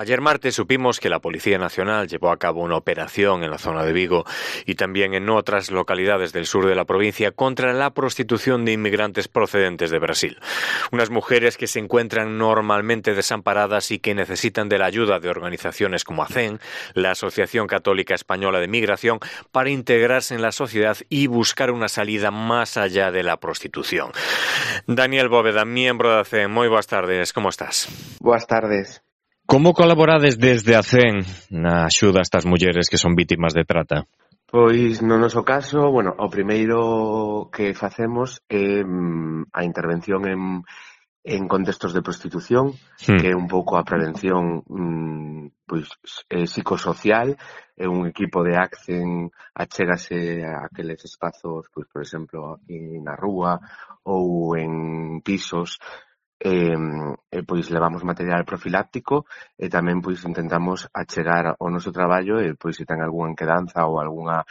Ayer martes supimos que la Policía Nacional llevó a cabo una operación en la zona de Vigo y también en otras localidades del sur de la provincia contra la prostitución de inmigrantes procedentes de Brasil. Unas mujeres que se encuentran normalmente desamparadas y que necesitan de la ayuda de organizaciones como ACEN, la Asociación Católica Española de Migración, para integrarse en la sociedad y buscar una salida más allá de la prostitución. Daniel Bóveda, miembro de ACEN, moi boas tardes, como estás? Boas tardes. Como colaborades desde ACEN na axuda a estas mulleres que son vítimas de trata? Pois no noso caso, o primeiro que facemos é a intervención en contextos de prostitución, que é un pouco a prevención psicosocial. É un equipo de ACEN achégase a aqueles espazos, por exemplo, aquí na rúa ou en pisos. Pois levamos material profiláctico e tamén intentamos achegar o noso traballo e se ten algunha enquedanza ou algunha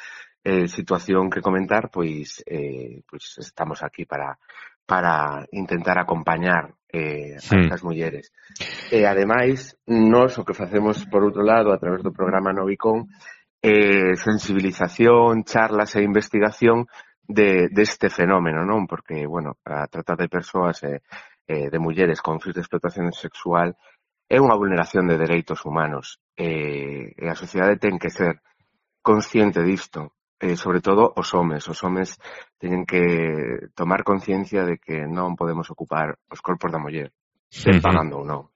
situación que comentar, estamos aquí para intentar acompañar a estas mulleres. E ademais, nós o que facemos por outro lado a través do programa Novicon é sensibilización, charlas e investigación deste fenómeno, non? Porque, a trata de persoas de mulleres con fins de explotación sexual é unha vulneración de dereitos humanos e a sociedade ten que ser consciente disto, sobre todo os homes teñen que tomar conciencia de que non podemos ocupar os corpos da muller, pagando ou non.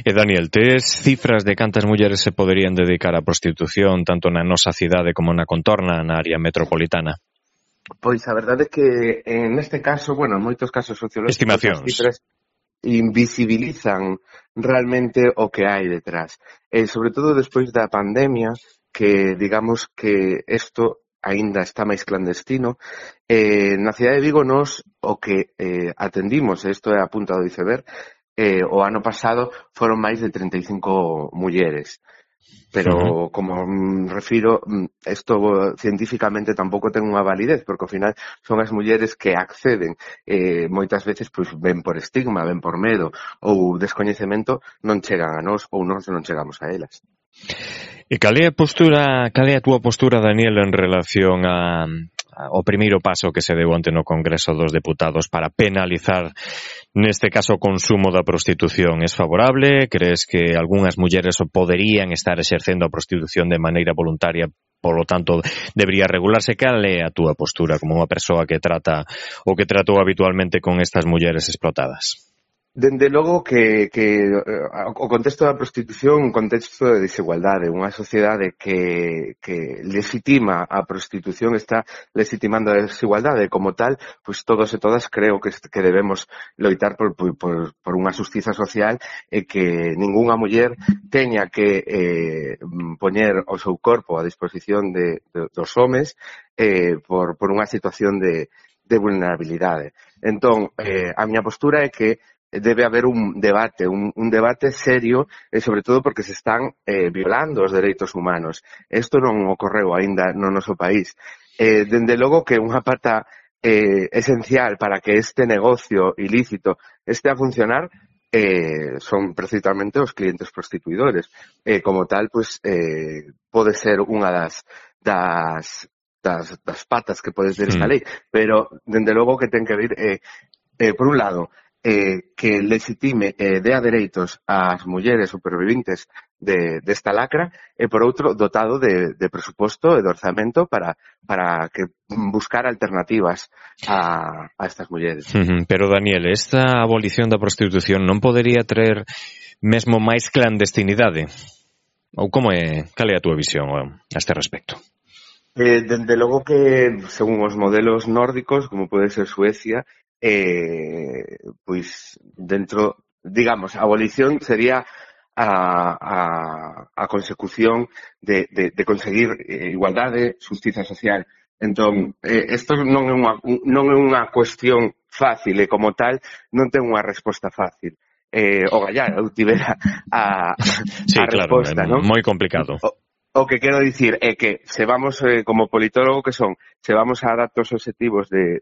E Daniel, tes cifras de cantas mulleres se poderían dedicar á prostitución tanto na nosa cidade como na contorna, na área metropolitana? Pois a verdade é que neste caso, en moitos casos sociológicos, as cifras invisibilizan realmente o que hai detrás. Sobre todo despois da pandemia, que digamos que isto aínda está máis clandestino. Na cidade de Vigo nos o que atendimos, isto é a punta do iceberg, o ano pasado foron máis de 35 mulleres. Pero, como refiro, isto científicamente tampouco ten unha validez, porque ao final son as mulleres que acceden. Moitas veces, ven por estigma, ven por medo ou descoñecemento, non chegan a nós ou nós non chegamos a elas. E cal é a túa postura, Daniel, en relación ao primeiro paso que se deu onte no Congreso dos Deputados para penalizar, neste caso, o consumo da prostitución? Es favorable? Crees que algunhas mulleres poderían estar exercendo a prostitución de maneira voluntaria, por lo tanto, debería regularse? Cal é a túa postura como unha persoa que trata ou que tratou habitualmente con estas mulleres explotadas? Dende logo que o contexto da prostitución é un contexto de desigualdade, unha sociedade que legitima a prostitución está legitimando a desigualdade. Como tal, todos e todas creo que debemos loitar por unha xustiza social e que ningunha muller teña que poñer o seu corpo a disposición dos homes por unha situación de vulnerabilidade. Entón, a miña postura é que debe haber un debate serio, sobre todo porque se están violando os dereitos humanos. Isto non ocorreu aínda no noso país. Dende logo que unha pata esencial para que este negocio ilícito este a funcionar son precisamente os clientes prostituidores. Como tal, pode ser unha das patas que pode ter esta lei, pero dende logo que ten que vir, por un lado, que legitime e dea dereitos ás mulleres superviventes desta lacra e, por outro, dotado de presuposto e de orzamento para que buscar alternativas a estas mulleres. Pero, Daniel, esta abolición da prostitución non podería traer mesmo máis clandestinidade? Ou cal é a túa visión a este respecto? Dende logo que, según os modelos nórdicos, como pode ser Suecia, dentro, digamos, a abolición sería a consecución de conseguir igualdade, xustiza social. Entón, isto non é unha cuestión fácil e, como tal, non ten unha resposta fácil. O gallar, eu tivera a resposta, non? Moi complicado. O que quero dicir é que se vamos, como politólogo que son, se vamos a datos objetivos de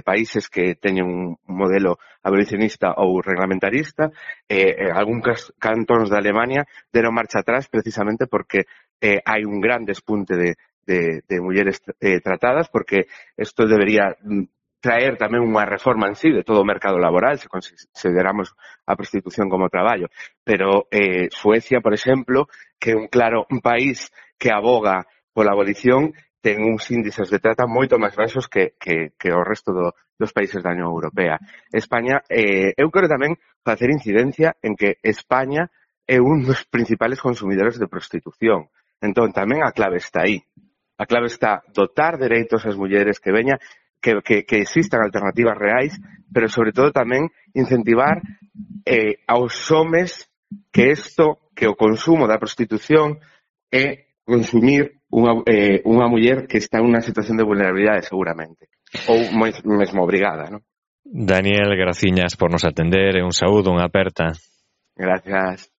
países que teñen un modelo abolicionista ou reglamentarista, algúns cantóns da Alemania deron marcha atrás precisamente porque hai un gran despunte de mulleres tratadas, porque isto debería traer tamén unha reforma en sí de todo o mercado laboral, se consideramos a prostitución como traballo. Pero Suecia, por exemplo, que é un país que aboga pola abolición, ten uns índices de trata moito máis baixos que o resto dos países da Unión Europea. España, eu quero tamén facer incidencia en que España é un dos principales consumidores de prostitución. Entón, tamén a clave está aí. A clave está dotar dereitos ás mulleres que veña, que existan alternativas reais, pero sobre todo tamén incentivar aos homes que o consumo da prostitución é consumir unha muller que está en unha situación de vulnerabilidade seguramente, ou mesmo obrigada, non? Daniel, graciñas por nos atender, un saúdo, unha aperta. Gracias.